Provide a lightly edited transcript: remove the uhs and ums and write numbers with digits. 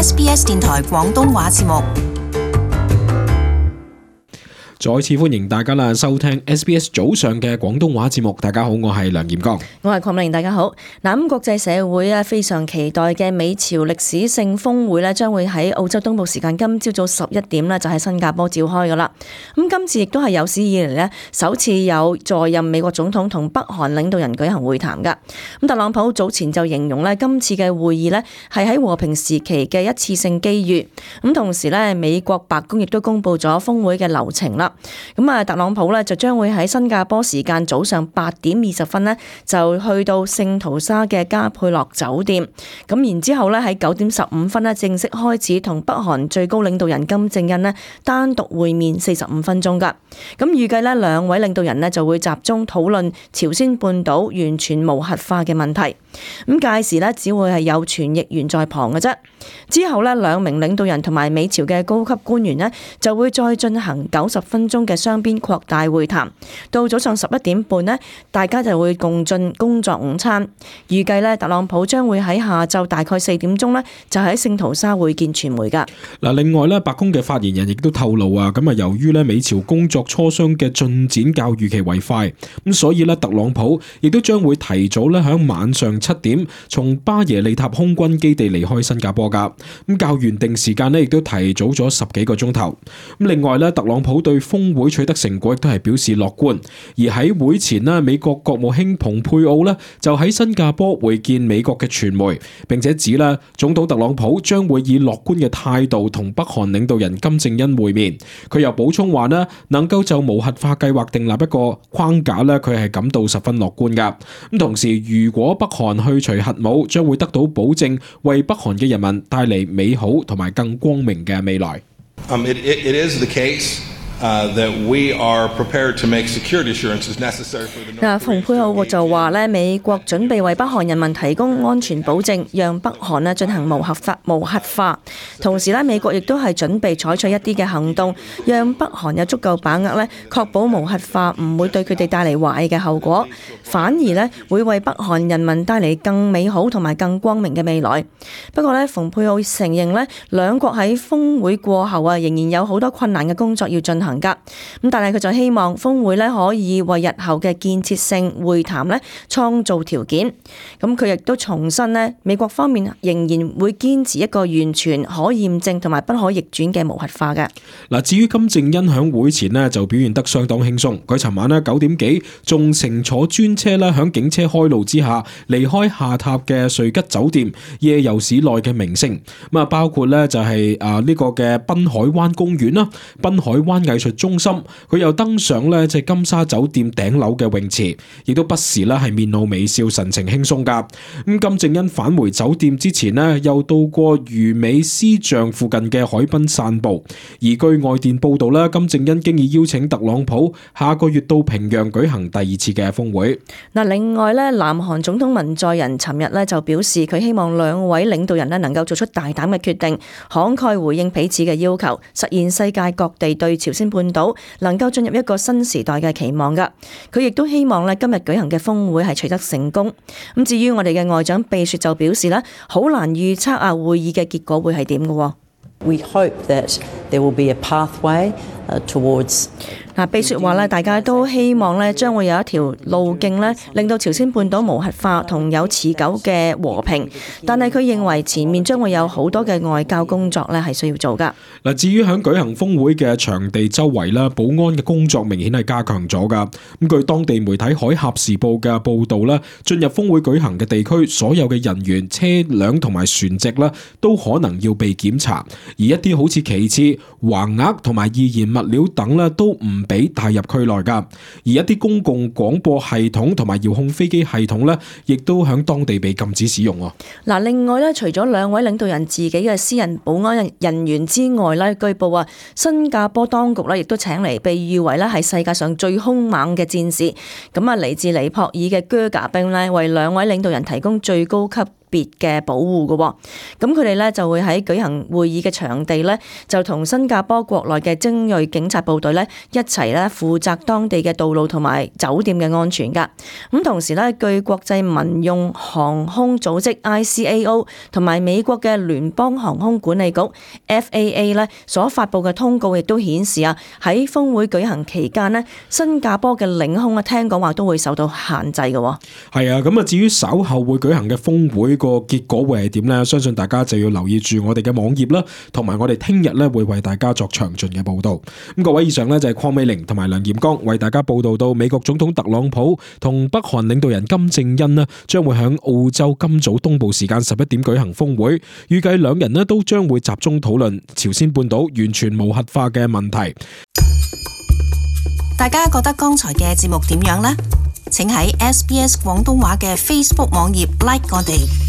SBS 電台廣東話節目。再次歡迎大家啦，收聽 SBS 早上嘅廣東話節目。大家好，我係梁炎剛，我係鄺美玲。大家好。咁國際社會非常期待嘅美朝歷史性峰會咧，將會喺澳洲東部時間今朝早11點咧，就喺新加坡召開噶啦。咁今次亦都係有史以嚟咧，首次有在任美國總統同北韓領導人舉行會談噶。咁特朗普早前就形容咧，今次嘅會議咧係喺和平時期嘅一次性機遇。咁同時咧，美國白宮亦都公布咗峰會嘅流程啦。咁特朗普咧就將會喺新加坡時間早上8點20分咧，就去到聖淘沙嘅加佩洛酒店。咁然之後咧喺9點15分咧正式開始同北韓最高領導人金正恩咧單獨會面45分鐘噶。咁預計咧兩位領導人咧就會集中討論朝鮮半島完全無核化嘅問題。咁屆時咧只會係有傳譯員在旁嘅啫。之後咧兩名領導人同埋美朝嘅高級官員咧就會再進行90分鐘嘅雙邊擴大會談，到早上11點半呢，大家就會共進工作午餐。預計呢，特朗普將會喺下晝大概4點鐘呢，就喺聖淘沙會見傳媒噶。嗱，另外呢，白宮嘅發言人亦都透露啊，咁啊，由於呢美朝工作磋商嘅進展較預期為快，咁所以呢，特朗普亦都將會提早呢喺晚上7點從巴耶利塔空軍基地離開新加坡噶。咁較原定時間呢，亦都提早咗10幾個鐘頭。咁另外呢，特朗普對峰會取得成果亦都係表示樂觀，而喺會前呢，美國國務卿蓬佩奧呢就喺新加坡會見美國嘅傳媒，並且指呢總統特朗普將會以樂觀嘅態度同北韓領導人金正恩會面。佢又補充話呢，能夠就無核化計劃訂立一個框架呢，佢係感到十分樂觀噶。咁同時，如果北韓去除核武，將會得到保證，為北韓嘅人民帶嚟美好同埋更光明嘅未來。It is the case that we are prepared to make security assurances necessary for the North Korean. 蓬佩奧就話咧，美國準備為北韓人民提供安全保證，讓北韓咧進行無核化。同時咧，美國亦都係準備採取一啲嘅行動，讓北韓有足夠把握咧，確保無核化唔會對佢哋帶嚟壞嘅後果，反而咧會為北韓人民帶嚟更美好同埋更光明嘅未來。不過咧，蓬佩奧承認咧，兩國喺峰會過後啊，仍然有好多困難嘅工作要進行。咁但係佢就希望峰會咧可以為日後嘅建設性會談咧創造條件。咁佢亦都重申咧，美國方面仍然會堅持一個完全可驗證同埋不可逆轉嘅無核化嘅。嗱，至於金正恩響會前咧就表現得相當輕鬆，佢尋晚咧9點幾仲乘坐專車咧響警車開路之下離開下榻嘅瑞吉酒店，夜遊市內嘅名勝。咁啊，包括咧就係呢個嘅濱海灣公園啦、濱海灣藝術中心，佢又登上咧即係金沙酒店頂樓嘅泳池，亦都不時咧係面露微笑，神情輕鬆噶。咁金正恩返回酒店之前咧，又到過魚尾獅象附近嘅海濱散步。而據外電報道咧，金正恩經已邀請特朗普下個月到平壤舉行第2次嘅峰會。嗱，另外咧，南韓總統文在寅尋日咧就表示，佢希望兩位領導人咧能夠做出大膽嘅決定，慷慨回應彼此嘅要求，實現世界各地對朝鮮半島能夠進入一個新時代嘅期望噶。佢亦都希望咧今日舉行嘅峰會係取得成功。咁至於我哋嘅外長秘書就表示咧，好難預測會議嘅結果會係點嘅。We hope that there will be a pathway towards 秘書話咧，大家都希望咧將會有一條路徑咧，令到朝鮮半島無核化同有持久嘅和平。但係佢認為前面將會有好多嘅外交工作咧係需要做噶。嗱，至於響舉行峰會嘅場地周圍啦，保安嘅工作明顯係加強咗噶。咁據當地媒體《海峽時報》嘅報導啦，進入峰會舉行嘅地區，所有嘅人員、車輛同埋船隻啦，都可能要被檢查。而一啲好似旗幟、橫額同埋易燃物料等啦，都唔俾帶入區內噶。而一啲公共廣播系統同埋遙控飛機系統咧，亦都響當地被禁止使用。嗱，另外咧，除咗兩位領導人自己嘅私人保安人員之外咧，據報啊，新加坡當局咧亦都請嚟被譽為咧係世界上最兇猛嘅戰士，咁啊嚟自尼泊爾嘅啹喀兵咧，為兩位領導人提供最高級別嘅保護嘅。咁佢哋咧就會喺舉行會議嘅場地咧，就同新加坡國內嘅精鋭警察部隊咧一齊咧負責當地嘅道路同埋酒店嘅安全㗎。咁同時咧，據國際民用航空組織 ICAO 同埋美國嘅聯邦航空管理局 FAA 咧所發布嘅通告亦都顯示啊，喺峰會舉行期間咧，新加坡嘅領空啊，聽講話都會受到限制嘅。係啊，咁啊，至於稍後會舉行嘅峰會個結果會係點呢？相信大家就要留意住我哋嘅網頁啦，同埋我哋聽日咧會為大家作詳盡嘅報道。咁各位，以上呢就係鄺美玲同埋梁炎剛為大家報道到美國總統特朗普同北韓領導人金正恩呢將會喺澳洲今早東部時間11點舉行峰會，預計兩人呢都將會集中討論朝鮮半島完全無核化嘅問題。大家覺得剛才嘅節目點樣呢？請喺SBS 廣東話嘅 Facebook 網頁 like 我哋。